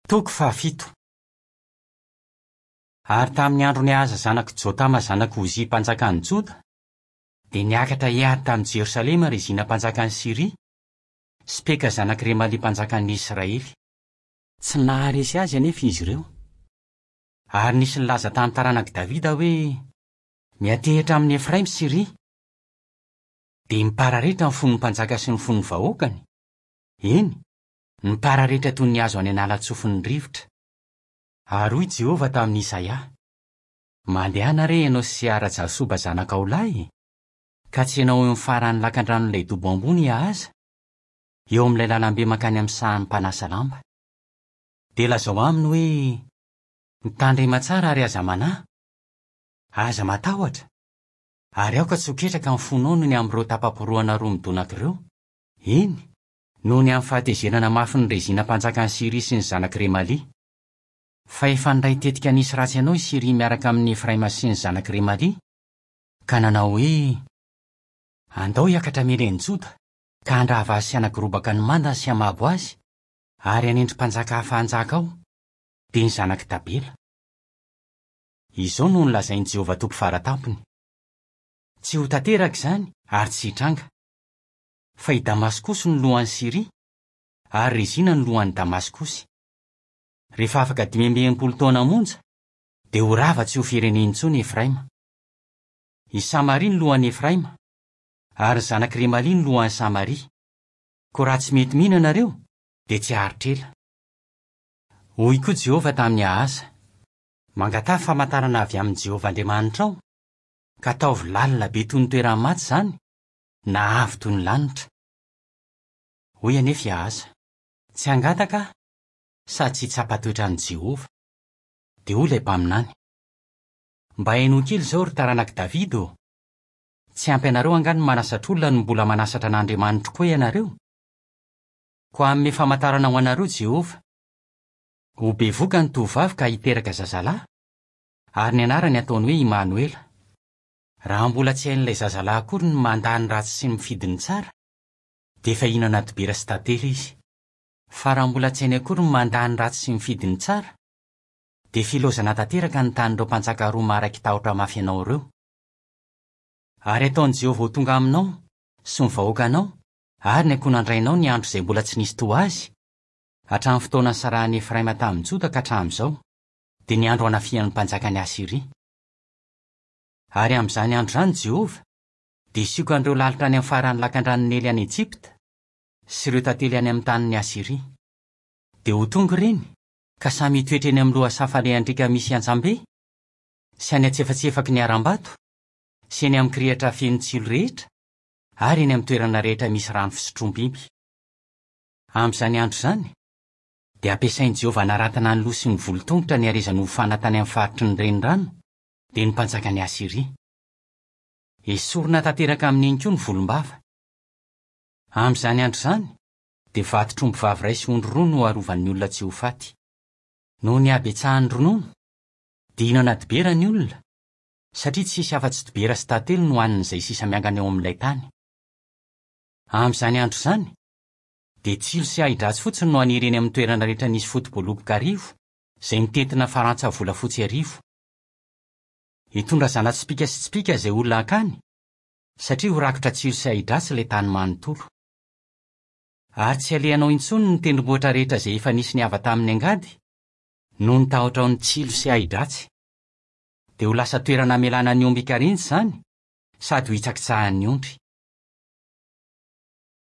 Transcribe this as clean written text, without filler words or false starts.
Toko fahafito. Ary tamin'ny andron'i Ahaza zanak'i Jotama zanak'i Ozia mpanjakan'i Joda, dia niakatra hiady tamin'i Jerosalema Rezina mpanjakan'i Syria sy Peka zanak'i Remalia mpanjakan'ny Israely. Tsy naharesy azy anefa izy ireo. Ary nisy nilaza tamin'ny taranak'i Davida hoe, Miantehitra amin'i Efraima Syria. Dia nipararetra ny fon'ny mpanjaka sy ny fon'ny vahoakany, eny, nipararetra toy ny hazo any an'ala-tsofin'ny rivotra. Ary hoy Jehovah tamin'i Isaia, Mandehana re ianao sy Seara-jasoba zanakao lahy, ka tsenao eo amin'ny faran'ny lakandranon'ilay dobo ambony i Ahaza, eo amin'ilay lalambe mankany amin'ny sahan'ny mpanasa lamba. Dia lazao aminy hoe, 'Mitandrema tsara ary aza manahy, aza matahotra, ary aoka tsy ho ketraka ny fonao noho ny amin'ireo tapa-porohana roa midonaka ireo, eny, noho ny amin'ny fahatezerana mafin'i Rezina mpanjakan'i Syria sy ny zanak'i Remalia. Fa efa niray tetika nisy ratsy anao i Syria miaraka amin'i Efraima sy ny zanak'i Remalia, ka nanao hoe, Andao hiakatra hamely an'i Joda, ka handrava azy sy hanagorobaka ny mandany sy hamabo azy, ary hanendry mpanjaka hafa hanjaka ao, dia ny zanak'i Tabela. Izao no nolazain'i Jehovah Tompo Fara Tampony, Tsy ho tanteraka izany ary tsy hitranga. Fa i Damaskosy no lohan'i Syria, ary Rezina no lohan'i Damaskosy. Rehefa afaka 65 taona monja, dia ho rava tsy ho firenena intsony i Efraima. I Samaria no lohan'i Efraima, ary ny zanak'i Remalia no lohan'i Samaria. Koa raha tsy mety mino ianareo, dia tsy haharitra ela. Hoy koa Jehovah tamin'i Ahaza, Mangataha famantarana avy amin'i Jehovah Andriamanitrao, ka ataovy lalina be toy ny toeran'ny maty izany, na avo toy ny lanitra. Hoy anefa i Ahaza, Tsy hangataka aho, sady tsy hitsapa toetra an'i Jehovah. Dia hoy ilay mpaminany, Mba henoy kely izao, ry taranak'i Davida ô! Tsy ampy anareo angaha ny manasatra olona no mbola manasatra an'Andriamanitro koa ianareo? Koa hanome famantarana ho anareo Jehovah. Ho bevoka ny tovovavy ka hiteraka zazalahy, ary ny anarany hataony hoe Imanoela. Raha mbola tsy hain'ilay zazalahy akory ny mandà ny ratsy sy ny mifidy ny tsara, dia efa hihinana dibera sy tantely izy. Fa raha mbola tsy hainy akory ny mandà ny ratsy sy mifidy ny tsara, dia filaozana tanteraka ny tanin'ireo mpanjaka roa maharaiki-tahotra mafy anao ireo. Ary hataon'i Jehovah ho tonga aminao, sy ny vahoakanao, ary ny ankohonandrainao ny andro izay mbola tsy nisy toa azy, hatramin'ny fotoana nisarahan'i Efraima tamin'i Joda ka hatramin'izao, dia ny andro hanafihan'ny mpanjakan'i Asyria. Ary amin'izany andro izany Jehovah dia hisioka an'ireo lalitra any amin'ny faran'ny lakandranon'i Neily any Ejipta, sy ireo tantely any amin'ny tanin'i Asyria. Dia ho tonga ireny, ka samy hitoetra eny amin'ny lohasaha falehan-driaka misy antsam-be, sy any an-tsefatsefaky ny harambato, sy eny amin'ny kirihitra feno tsilo rehetra, ary eny amin'ny toerana rehetra misy rano fisotroam-biby. Amin'izany andro izany, dia hampiasain'i Jehovah hanaratana ny loha sy ny volon-tongotra ny harezany hofana tany amin'ny faritry ny renirano, dia ny mpanjakan'i Asyria. Hesorina tanteraka amin'iny koa ny volombava. Amin'izany andro izany, dia vatotr'ombivavy iray sy ondry roa no harovan'ny olona tsy ho faty. Noho ny habetsahan'ny ronono, dia hihinana dibera ny olona, satria tsy hisy afa-tsy dibera sy tantely no hanin'izay sisa miangana eo amin'ilay tany. Amin'izany andro izany, dia tsilo sy ahi-dratsy fotsiny no haniry eny amin'ny toerana rehetra nisy foto-boaloboka arivo, izay mitentina farantsa volafotsy arivo. Hitondra zana-tsipìka sy tsipìka izay olona hankany, satria ho rakotra tsilo sy ahi-dratsy ilay tany manontolo. Ary tsy halehanao intsony ny tendrombohitra rehetra izay efa nisy niava tamin'ny angady, noho ny tahotrao ny tsilo sy ahi-dratsy. Dia ho lasa toerana hamelana ny omby hikarinjy izany, sady ho hitsakitsahan'ny ondry.